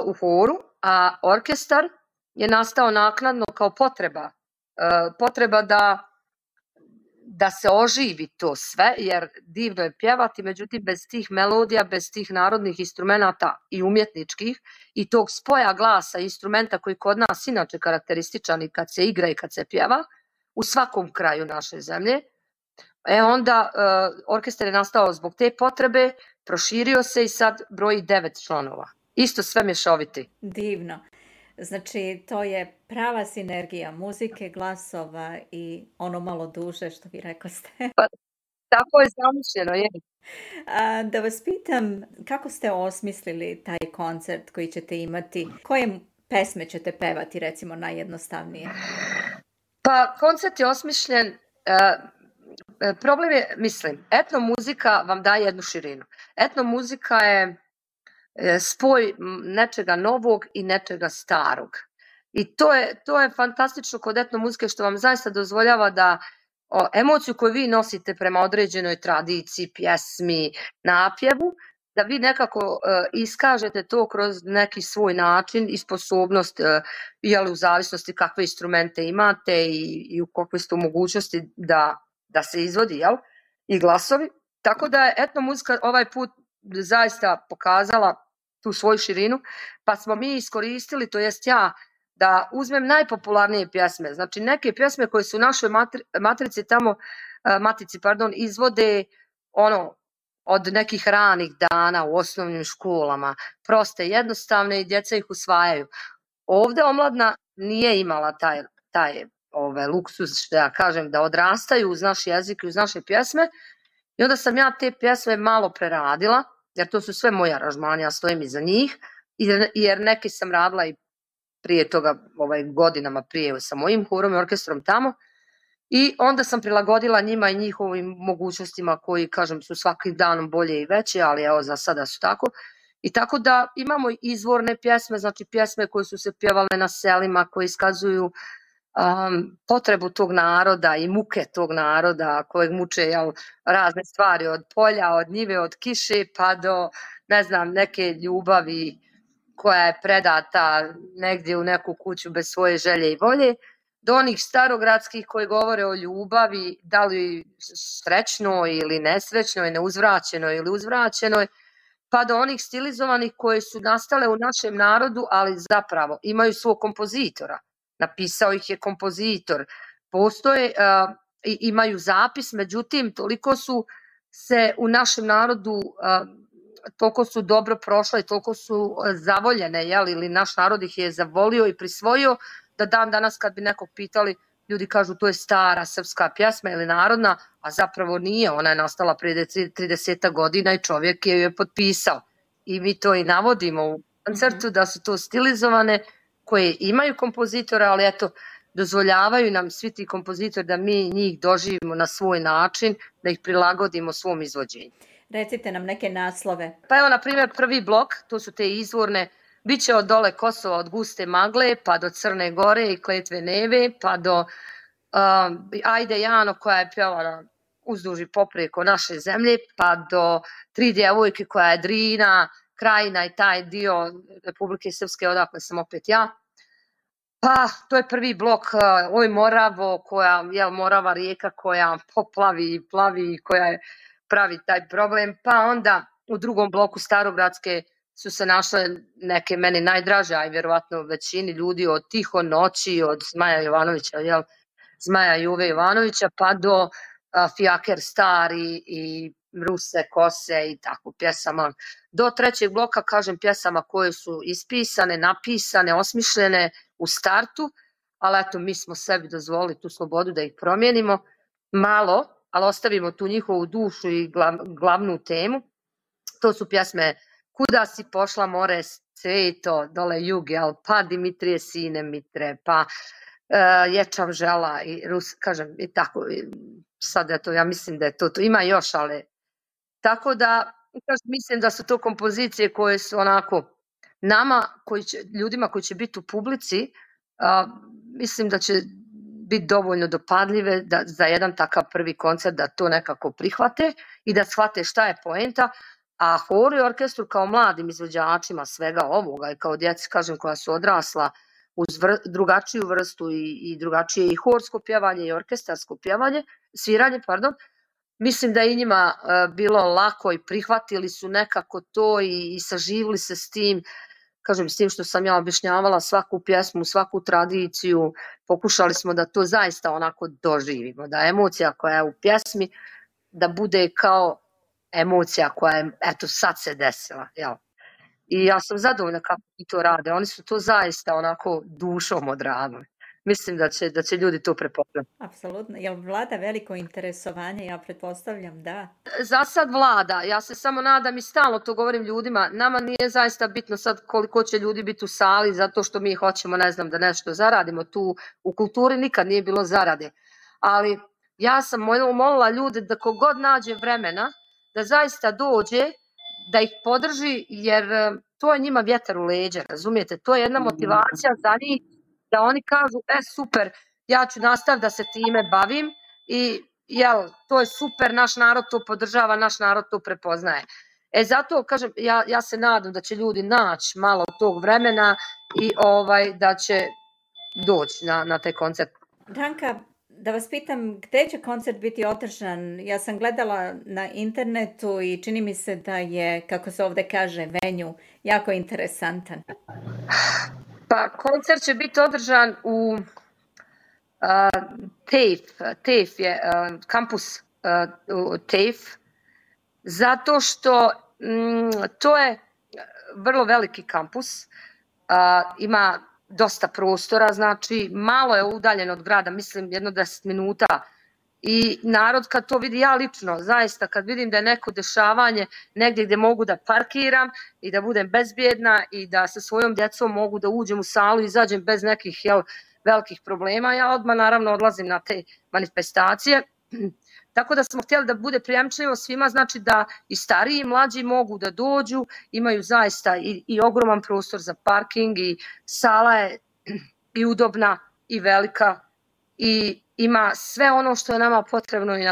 u horu, a orkestar je nastao naknadno kao potreba da se oživi to sve, jer divno je pjevati, međutim bez tih melodija, bez tih narodnih instrumenata i umjetničkih i tog spoja glasa i instrumenta koji kod nas inače karakterističan i kad se igra i kad se pjeva u svakom kraju naše zemlje, onda orkestar je nastao zbog te potrebe, proširio se i sad broji 9 članova. Isto sve mješoviti. Divno. Znači, to je prava sinergija muzike, glasova i ono malo duže, što vi rekoste. Pa, tako je zamišljeno, je. Da vas pitam, kako ste osmislili taj koncert koji ćete imati? Koje pesme ćete pevati, recimo, najjednostavnije? Pa, koncert je osmišljen, problem je, etnomuzika vam daje jednu širinu. Etnomuzika je spoj nečega novog i nečega starog. I to je fantastično kod etnomuzike što vam zaista dozvoljava da emociju koju vi nosite prema određenoj tradiciji, pjesmi, napjevu, da vi nekako iskažete to kroz neki svoj način i sposobnost, u zavisnosti kakve instrumente imate i u kakve ste u mogućnosti da se izvodi, i glasovi. Tako da je etnomuzika ovaj put zaista pokazala tu svoju širinu, pa smo mi iskoristili, to jest ja, da uzmem najpopularnije pjesme, znači neke pjesme koje su u našoj matici izvode od nekih ranih dana u osnovnim školama, proste, jednostavne i djeca ih usvajaju. Ovde omladna nije imala taj luksuz, što ja kažem, da odrastaju uz naš jezik i uz naše pjesme. I onda sam ja te pjesme malo preradila, jer to su sve moje aranžmani, ja stojim iza njih, jer neke sam radila i prije toga, godinama prije sa mojim horom i orkestrom tamo. I onda sam prilagodila njima i njihovim mogućnostima koji, kažem, su svakim danom bolje i veće, ali evo za sada su tako. I tako da imamo izvorne pjesme, znači pjesme koje su se pjevale na selima, koje iskazuju potrebu tog naroda i muke tog naroda kojeg muče razne stvari od polja, od njive, od kiše pa do neke ljubavi koja je predata negdje u neku kuću bez svoje želje i volje, do onih starogradskih koji govore o ljubavi, da li srećnoj ili nesrećnoj, neuzvraćenoj ili uzvraćenoj, pa do onih stilizovanih koje su nastale u našem narodu, ali zapravo imaju svog kompozitora. Napisao ih je kompozitor. Postoje i imaju zapis, međutim, toliko su se u našem narodu, toliko su dobro prošle i toliko su zavoljene, ili naš narod ih je zavolio i prisvojio, da dan danas kad bi nekog pitali, ljudi kažu to je stara srpska pjesma ili narodna, a zapravo nije, ona je nastala prije 30 godina i čovjek je je potpisao. I mi to i navodimo u koncertu da su to stilizovane koje imaju kompozitora, ali eto, dozvoljavaju nam svi ti kompozitori da mi njih doživimo na svoj način, da ih prilagodimo svom izvođenju. Recite nam neke naslove. Pa evo, na primjer, prvi blok, to su te izvorne, biće od dole Kosova, od guste magle, pa do Crne Gore i Kletve Neve, pa do Ajde Jano koja je pjevala uzduž i poprijeko naše zemlje, pa do Tri djevojke koja je Drina, Krajina i taj dio Republike Srpske odakle sam opet ja. Pa to je prvi blok, Oj Moravo, Morava rijeka koja poplavi i plavi, koja pravi taj problem. Pa onda u drugom bloku Starogradske su se našle neke meni najdraže, a i vjerovatno većini ljudi, od Tiho noći, od Zmaja Jovanovića, Zmaja Juve Jovanovića, pa do Fijaker stari i Ruse kose i tako pjesama. Do trećeg bloka, kažem, pjesama koje su ispisane, napisane, osmišljene u startu, ali eto, mi smo sebi dozvolili tu slobodu da ih promijenimo malo, ali ostavimo tu njihovu dušu i glavnu temu. To su pjesme Kuda si pošla more cveto, dole jug, pa Dimitrije sine Mitre, pa Ječav žela i kažem, i tako, sad eto, ja mislim da je to, ima još, ali tako da, mislim da su to kompozicije koje su onako, nama, ljudima koji će biti u publici, mislim da će biti dovoljno dopadljive za jedan takav prvi koncert da to nekako prihvate i da shvate šta je poenta, a horu i orkestru kao mladim izvođačima svega ovoga i kao djeci, kažem, koja su odrasla uz drugačiju vrstu i drugačije i horsko pjevanje i orkestarsko pjevanje, sviranje, mislim da je i njima bilo lako i prihvatili su nekako to i saživili se s tim, kažem, s tim što sam ja objašnjavala svaku pjesmu, svaku tradiciju, pokušali smo da to zaista onako doživimo, da emocija koja je u pjesmi, da bude kao emocija koja je, eto, sad se desila, jel? I ja sam zadovoljna kako ti to rade, oni su to zaista onako dušom odradili. Mislim da će ljudi to prepoznati. Apsolutno. Jel vlada veliko interesovanje? Ja pretpostavljam da. Za sad vlada. Ja se samo nadam i stalno to govorim ljudima. Nama nije zaista bitno sad koliko će ljudi biti u sali zato što mi hoćemo, da nešto zaradimo. Tu u kulturi nikad nije bilo zarade. Ali ja sam molila ljude da kogod nađe vremena da zaista dođe, da ih podrži, jer to je njima vjetar u leđa, razumijete? To je jedna motivacija za njih, da oni kažu, super, ja ću nastaviti da se time bavim i to je super, naš narod to podržava, naš narod to prepoznaje. Zato, kažem, ja se nadam da će ljudi naći malo tog vremena i da će doći na taj koncert. Danka, da vas pitam, gdje će koncert biti održan? Ja sam gledala na internetu i čini mi se da je, kako se ovdje kaže, venue jako interesantan. Pa koncert će biti održan u TAFE je kampus TAFE zato što to je vrlo veliki kampus, ima dosta prostora, znači malo je udaljen od grada, mislim jedno 10 minuta. I narod kad to vidi, ja lično, zaista kad vidim da je neko dešavanje negdje gdje mogu da parkiram i da budem bezbjedna i da sa svojom djecom mogu da uđem u salu i izađem bez nekih velikih problema, ja odmah naravno odlazim na te manifestacije. Tako da smo htjeli da bude prijemčljivo svima, znači da i stariji i mlađi mogu da dođu, imaju zaista i ogroman prostor za parking i sala je i udobna i velika i ima sve ono što je nama potrebno i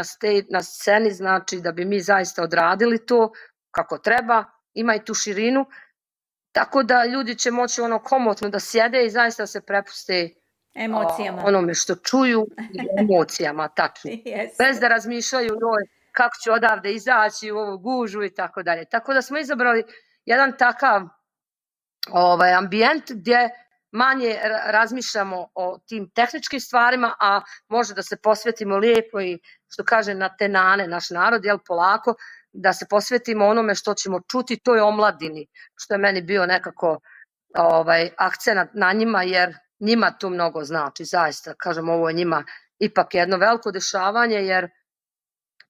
na sceni, znači da bi mi zaista odradili to kako treba, ima i tu širinu, tako da ljudi će moći komotno da sjede i zaista se prepuste emocijama. Onome što čuju i emocijama, tačno. Bez da razmišljaju kako ću odavde izaći u ovu gužu i tako dalje. Tako da smo izabrali jedan takav ambijent gdje manje razmišljamo o tim tehničkim stvarima, a može da se posvetimo lijepo i što kaže na tenane naš narod, polako, da se posvetimo onome što ćemo čuti, to je omladini, što je meni bio nekako akcenat na njima, jer njima to mnogo znači, zaista, kažem, ovo je njima ipak jedno veliko dešavanje, jer,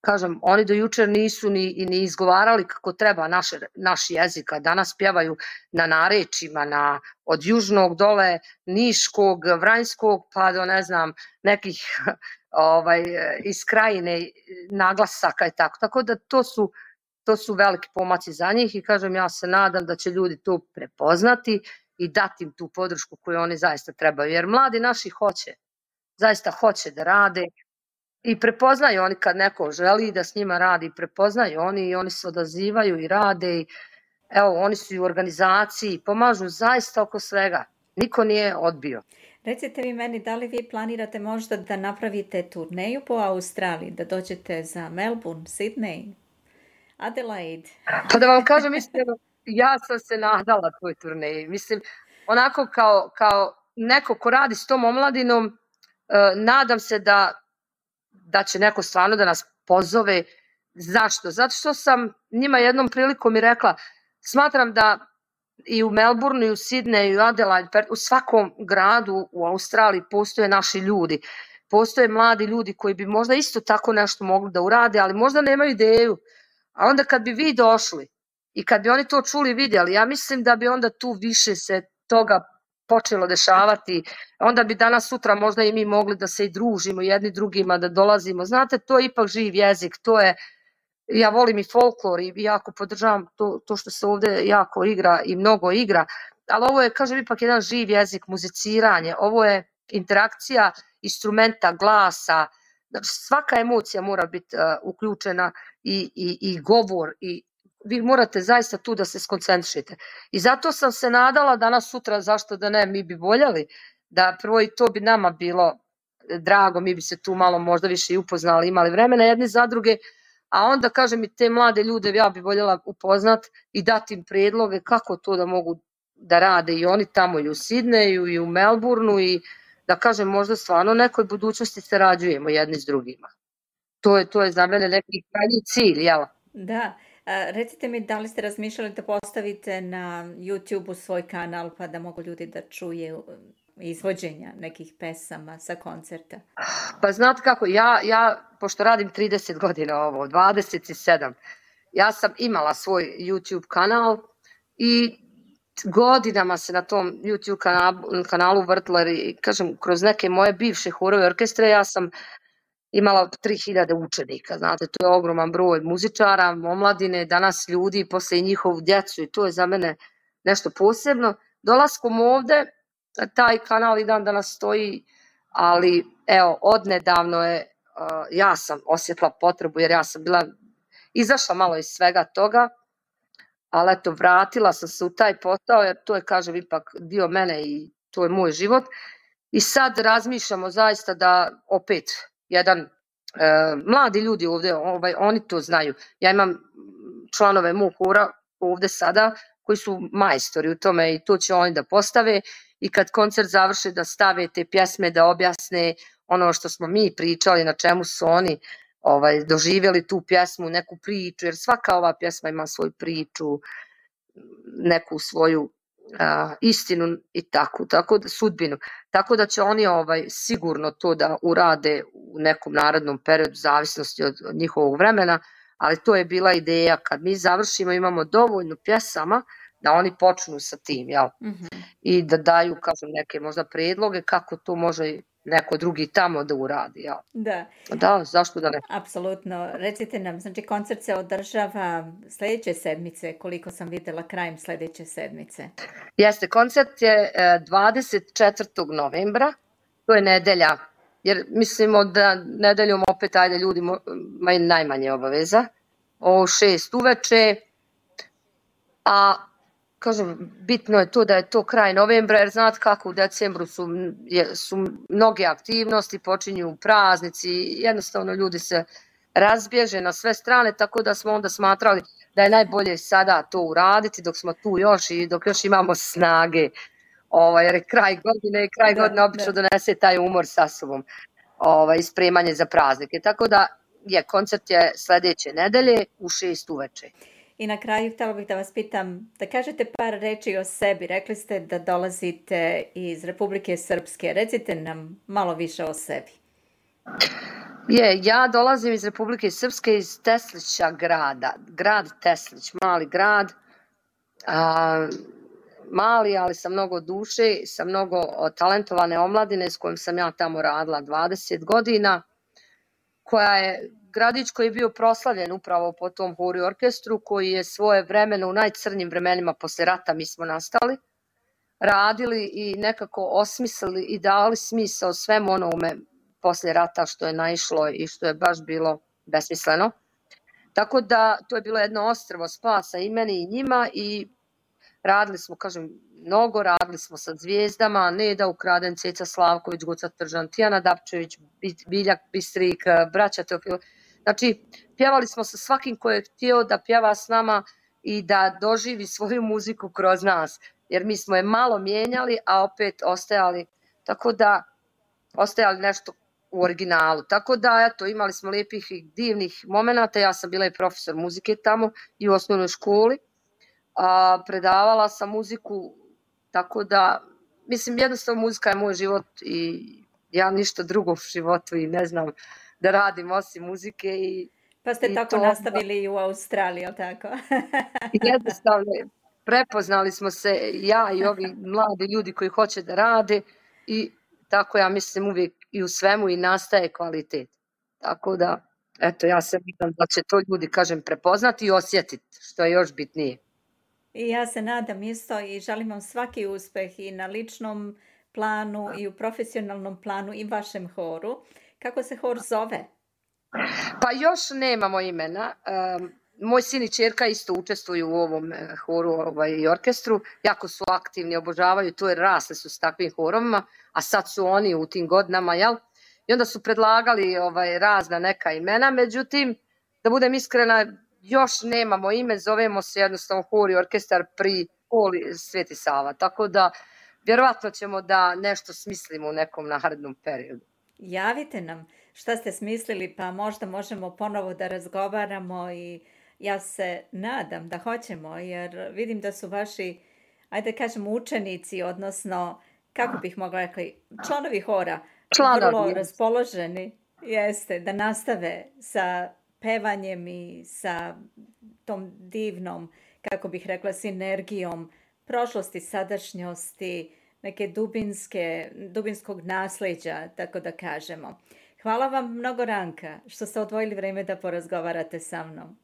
kažem, oni do jučer nisu ni izgovarali kako treba naš jezik, a danas pjevaju na narečjima, od južnog dole, niškog, vranjskog, pa do, ne znam, nekih iz krajine naglasaka i tako. Tako da to su veliki pomaci za njih i, kažem, ja se nadam da će ljudi to prepoznati i dati im tu podršku koju oni zaista trebaju. Jer mladi naši zaista hoće da rade i prepoznaju oni kad neko želi da s njima radi, prepoznaju oni i oni se odazivaju i rade i evo, oni su i u organizaciji, pomažu zaista oko svega. Niko nije odbio. Recite vi meni, da li vi planirate možda da napravite turneju po Australiji, da dođete za Melbourne, Sydney, Adelaide? Pa da vam kažem iskreno, ja sam se nadala toj turneji. Mislim, onako kao neko ko radi s tom omladinom, nadam se da će neko stvarno da nas pozove. Zašto? Zato što sam njima jednom prilikom i rekla, smatram da i u Melbourneu, i u Sydneyu, i u Adelaide, u svakom gradu u Australiji postoje naši ljudi. Postoje mladi ljudi koji bi možda isto tako nešto mogli da urade, ali možda nemaju ideju. A onda kad bi vi došli i kad bi oni to čuli i vidjeli, ja mislim da bi onda tu više se toga počelo dešavati, onda bi danas sutra možda i mi mogli da se i družimo jedni drugima, da dolazimo. Znate, to je ipak živ jezik, to je, ja volim i folklor i jako podržavam to što se ovdje jako igra i mnogo igra, ali ovo je, kažem, ipak jedan živ jezik, muziciranje, ovo je interakcija instrumenta, glasa, svaka emocija mora biti uključena i govor i vi morate zaista tu da se skoncentrišete. I zato sam se nadala danas sutra, zašto da ne, mi bi voljeli da prvo i to bi nama bilo drago, mi bi se tu malo možda više i upoznali, imali vremena jedni za druge, a onda, kažem, i te mlade ljude ja bi voljela upoznat i dati im predloge kako to da mogu da rade i oni tamo i u Sidneju i u Melbourneu i da, kažem, možda stvarno nekoj budućnosti sarađujemo jedni s drugima. To je za mene neki krajnji cilj, jel? Da. Recite mi, da li ste razmišljali da postavite na YouTube-u svoj kanal pa da mogu ljudi da čuje izvođenja nekih pesama sa koncerta? Pa znate kako, ja pošto radim 30 godina ovo, 27, ja sam imala svoj YouTube kanal i godinama se na tom YouTube kanalu vrtila i, kažem, kroz neke moje bivše horove orkestre ja sam imala 3000 učenika, znate, to je ogroman broj muzičara, omladine, danas ljudi, posle i njihovu djecu i to je za mene nešto posebno. Dolaskom ovde, taj kanal i dan danas stoji, ali evo, odnedavno je, ja sam osjetila potrebu jer ja sam bila, izašla malo iz svega toga, ali eto, vratila sam se u taj posao jer to je, kažem, ipak dio mene i to je moj život. I sad razmišljamo zaista da opet jedan mladi ljudi ovdje, oni to znaju. Ja imam članove mog hora ovdje sada koji su majstori u tome i to će oni da postave i kad koncert završe da stave te pjesme, da objasne ono što smo mi pričali, na čemu su oni doživjeli tu pjesmu, neku priču, jer svaka ova pjesma ima svoju priču, neku svoju istinu i tako da sudbinu. Tako da će oni sigurno to da urade u nekom narednom periodu, zavisnosti od njihovog vremena, ali to je bila ideja kad mi završimo, imamo dovoljno pjesama da oni počnu sa tim, jel? I da daju, kažem, neke možda predloge kako to može neko drugi tamo da uradi, jel? Da, zašto da ne? Apsolutno. Recite nam, znači koncert se održava sljedeće sedmice, koliko sam vidjela krajem sljedeće sedmice. Jeste, koncert je 24. novembra, to je nedelja, jer mislimo da nedeljom opet ajde ljudi imaju najmanje obaveza, o 6 uveče, a kažem, bitno je to da je to kraj novembra, jer znate kako u decembru su mnoge aktivnosti, počinju praznici, jednostavno ljudi se razbježe na sve strane, tako da smo onda smatrali da je najbolje sada to uraditi dok smo tu još i dok još imamo snage, jer je kraj godine obično donese taj umor sa sobom i spremanje za praznike. Tako da koncert je sljedeće nedelje u 6 uveče. I na kraju htjela bih da vas pitam, da kažete par reči o sebi. Rekli ste da dolazite iz Republike Srpske. Recite nam malo više o sebi. Ja dolazim iz Republike Srpske, iz Teslića grada. Grad Teslić, mali grad. Mali, ali sa mnogo duše, sa mnogo talentovane omladine s kojom sam ja tamo radila 20 godina, koja je gradić koji je bio proslavljen upravo po tom horu i orkestru, koji je svoje vremeno u najcrnjim vremenima posle rata, mi smo nastali, radili i nekako osmislili i dali smisao svemu onome posle rata što je naišlo i što je baš bilo besmisleno. Tako da to je bilo jedno ostrvo spasa i meni i njima i radili smo, kažem, mnogo, radili smo sa zvijezdama, Neda Ukraden, Ceca Slavković, Goca Tržan, Tijana Dapčević, Biljak Bistrik, braća Teofilo. Znači, pjevali smo sa svakim ko je htio da pjeva s nama i da doživi svoju muziku kroz nas, jer mi smo je malo mijenjali, a opet ostajali nešto u originalu. Tako da, eto, imali smo lijepih i divnih momenata. Ja sam bila i profesor muzike tamo i u osnovnoj školi. Predavala sam muziku, tako da, mislim, jednostavno muzika je moj život i ja ništa drugo u životu i ne znam da radim osim muzike. Pa ste tako nastavili i u Australiji, ali tako? Jednostavno, prepoznali smo se, ja i ovi mladi ljudi koji hoće da rade i tako ja mislim uvijek i u svemu i nastaje kvalitet. Tako da, eto, ja se nadam da će to ljudi, kažem, prepoznati i osjetiti, što je još bitnije. I ja se nadam isto i želim vam svaki uspeh i na ličnom planu i u profesionalnom planu i vašem horu. Kako se hor zove? Pa još nemamo imena. Moj sin i ćerka isto učestvuju u ovom horu i orkestru. Jako su aktivni, obožavaju to jer rasli su s takvim horovima, a sad su oni u tim godinama, jel? I onda su predlagali razna neka imena, međutim, da budem iskrena, još nemamo ime, zovemo se jednostavno hor i orkestar pri školi Sveti Sava, tako da vjerovatno ćemo da nešto smislimo u nekom narednom periodu. Javite nam šta ste smislili, pa možda možemo ponovo da razgovaramo i ja se nadam da hoćemo, jer vidim da su vaši, ajde kažemo, učenici, odnosno, kako bih mogla rekli, članovi hora, vrlo raspoloženi, jeste, da nastave sa pevanjem i sa tom divnom, kako bih rekla, sinergijom prošlosti, sadašnjosti, neke dubinskog nasljeđa, tako da kažemo. Hvala vam mnogo, Ranka, što ste odvojili vrijeme da porazgovarate sa mnom.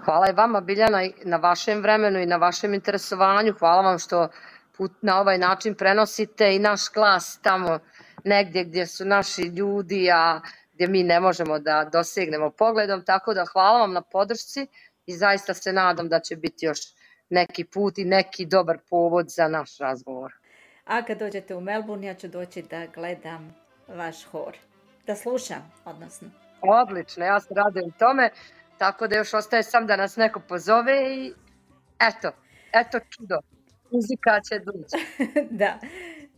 Hvala i vama, Biljana, na vašem vremenu i na vašem interesovanju. Hvala vam što na ovaj način prenosite i naš glas tamo negdje gdje su naši ljudi, a gdje mi ne možemo da dosegnemo pogledom. Tako da hvala vam na podršci i zaista se nadam da će biti još neki put i neki dobar povod za naš razgovor. A kad dođete u Melbourne, ja ću doći da gledam vaš hor. Da slušam, odnosno. Odlično, ja se radujem tome, tako da još ostaje sam da nas neko pozove i eto čudo, muzika će doći. Da,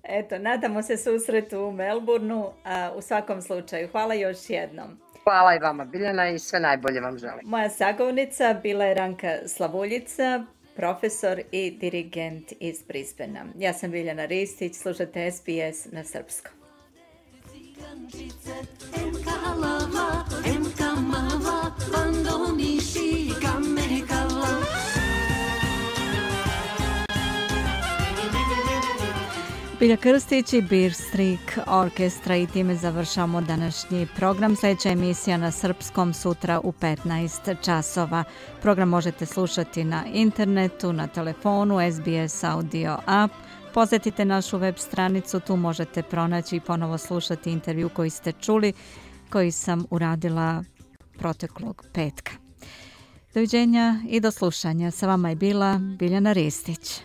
eto, nadamo se susretu u Melbourneu, a u svakom slučaju. Hvala još jednom. Hvala i vama, Biljana, i sve najbolje vam želim. Moja sagovornica bila je Ranka Slavuljica, profesor i dirigent iz Brisbanea. Ja sam Biljana Ristić, slušate SBS na srpskom. Bilja Krstić i Beer Streak Orkestra, i time završamo današnji program. Sljedeća emisija na srpskom sutra u 15 časova. Program možete slušati na internetu, na telefonu, SBS Audio App. Posjetite našu web stranicu, tu možete pronaći i ponovo slušati intervju koji ste čuli, koji sam uradila proteklog petka. Doviđenja i do slušanja. Sa vama je bila Biljana Ristić.